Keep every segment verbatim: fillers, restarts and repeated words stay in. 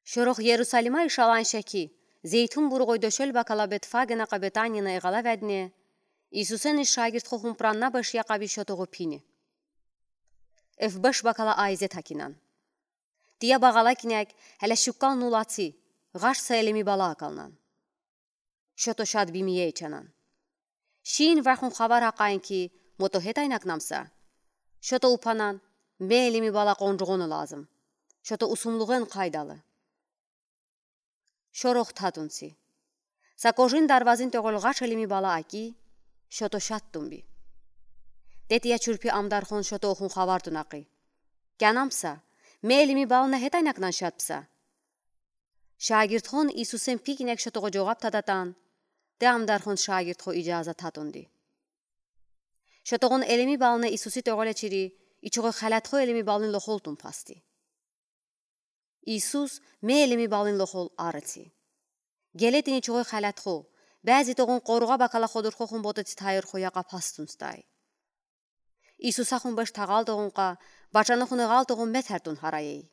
Шорох Ерусалима ишалан шеки, Зейтун буругой дошел бакала Бетфагена ка Бетанина игалаведне, Иисусэн иш шагирдхо хумпранна башьякаби шотогу пине. Эв баш бакала айзет акинан. Тия багала кинек, хеле шуккал нулаци, гаш са элеми бала акалнан. Шото шад бимиеечанан. Шин вахун хавар акайн ки, мото хетайнакнамса. Шото упанан, ме элеми бала къонжугъона лазым. Шото усумлугъен къайдалы. Шорох татунци. Са кожин дарвазин тёгъол гаш элеми бала аки, шото шад тунби. Тетия чурпи амдархон шото ухун хавар тунакъи. Кянамса, ме элеми бална хетайнакнан шадпса. Шагирдхон Иисусэн пи кинек шотогъо жогъаб тадатан, те амдархон шагирдхо ижаза татунди. Шотогъон элеми бална Иисуси тёгъоле чири, ичугъой халятхо элеми балын лохол тунпасти. Иисус ме элеми балын лохол арыци. Гелетин ичугъой халятхо, бязи тогъон къоругъа бакала ходурхо хумботаци тайырхо яка пастунстай. Иисуса хумбеш тагъал тогъон ка, бачана хуна гъал тогъон метер тун хараей.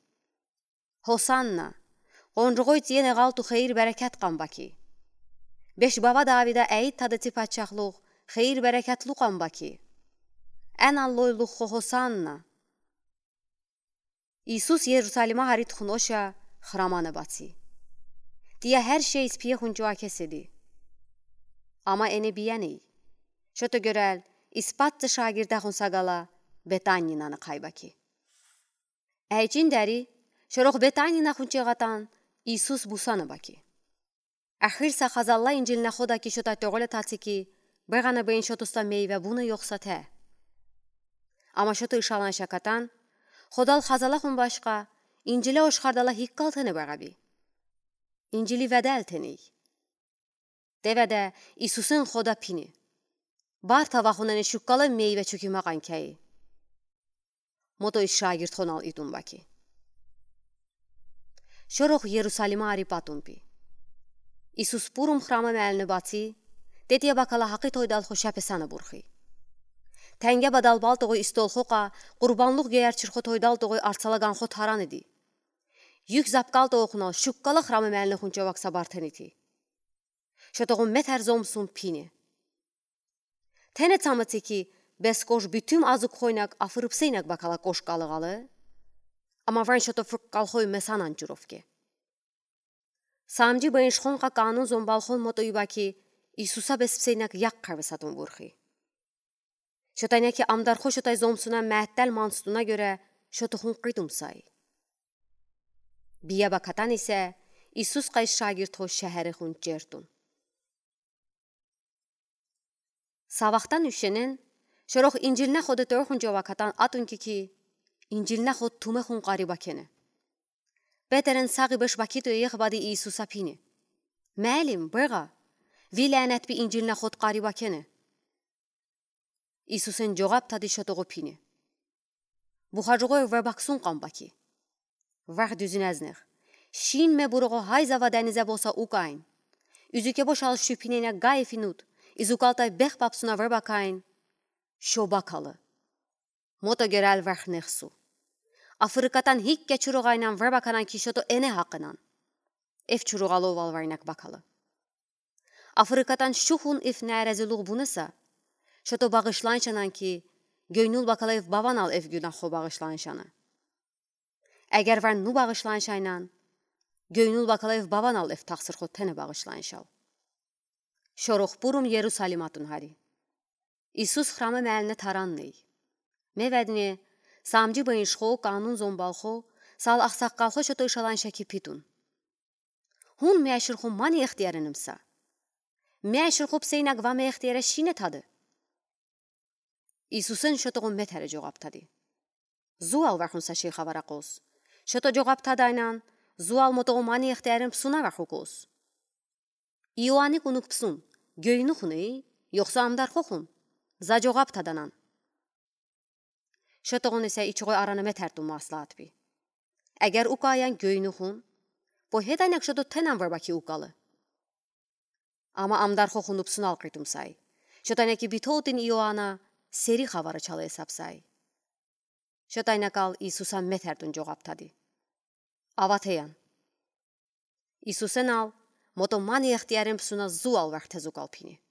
Хосанна! Къонжугъой тиен гъалту хейир берекет къамбаки. Беш бава Давида айт тадаци пачахлух хейир берекетлу къамбаки. Эн аллой луххо Хосанна! Иисус Ерусалима хари тухун оша, храмана баци. Тия хер шей испие хунчуа кеседи. Ама эне бияней. Шото гёрел, испатца шагирдахун сагала, Бетанинаны къайбаки. Эйчин дари, шорох Бетанина хунчегъатан, Иисус бусана баки. Эхир са хазалла Инжилна хода ки шота тёгъоле таци ки, бегъана бейин шотуста мейве буна ёхса те. Ама шото ишалан шакатан, ходал хазала хумбашка, Инжиле ошхардала хиккал тени бегъаби. Инжили ведел тени. Те веде Иисусын хода пини. Барта вахунене шуккала мейве чуки макъан кей. Мото иш шагирдхонал итун баки. Шорох Ерусалима ари патун пи. Иисус пурум храма мелни баци, тетия бакала хакъи тойдалхо шапесана бурхи. Тенге бадал балтогъой истолхо ка, къурбанлух геер чирхо тойдалтогъой арцала ганхо тараниди. Юк запкалтогъой хунал шуккала храма мелни хунча вакса бартенити. Шотогъун метер зомсун пини. Тене цамаци ки, бес кош бютюм азук хойнак афырыпсейнак бакала кош калыгъалы. Ама вань шото фырккалхой месанан чуровке. Самджи бейншхон ка канун зомбалхон мото юба ки, Иисуса беспсейнак як къарвесатун бурхи. Шотайна ки амдархо шотай зомсуна мэттэл манстуна гёре шотохун къитумсай. Бия бакатан исе Иисус къайш шагирдхо шехерехун чертун. Савахтан ушенен, шорох Инжилна хода тёрхун жовакатан атун ки ки, Инжилна ход тумехун къари бакене. Петерен сагъи беш бакито ех бади Иисуса пини. Мелим, бегъа, ви лянет би Инжилна ход къари бакене. Иисусэн жогъаб тади шотогъо пини. Бухаджугъой ве баксун къамбаки. Вах дюзинезнех. Шин ме буругъо хайзава денизе боса укайн. Юзюке бошал шупинена гайфинут. Изукалтай бех бапсуна ве бакайн. Шо бакалы. Мото герел вахнехсу. Афырыкатан хикке чуругъайнан ве баканан ки шото эне хакъынан. Эф чуругъало вал вайнак бакалы. Афырыкатан шухун эф нээрезилугъ бунеса, шото багышланшанан ки, гёйнул бакалаев баванал эф гюнахо багышланшана. Эгер ван ну багышланшайнан, гёйнул бакалаев баванал эф тахсырхо тене багышланшал. Шорох пурум Ерусалим атун хари. Иисус храма мелне таранней. Меведне, самджи бейншхо, канун зомбалхо, сал ахсаккалхо шото ишалан шеки питун. Хун меширху мани ихтияринымса. Меширху псейнак ва ме ихтияре шине тады. Иисусэн шотогъун метере жогъаб тади. Зуал вахун са шей хавара къос. Шото жогъаб тадайнан, зуал мотогъун мани ихтиярим псуна ваху къос. Иоанни кунук псун, гёйнухун эй, ёхса амдархохун. За жогъаб таданан. Шотогъун исе ичугъой арана метертун маслаат би. Эгер укаян гёйнухун, по хетайнак шото тенан варбаки укалы. Ама амдархохун упсунал къитумсай. Шотайнаки битотин Иоанна сери хавара чалай сапсай. Шотайнакал Иисуса метертун жогъаб тади. Аватеян. Иисус Христос Мото мани ихтиярен псуна зуал вархте зугалпини.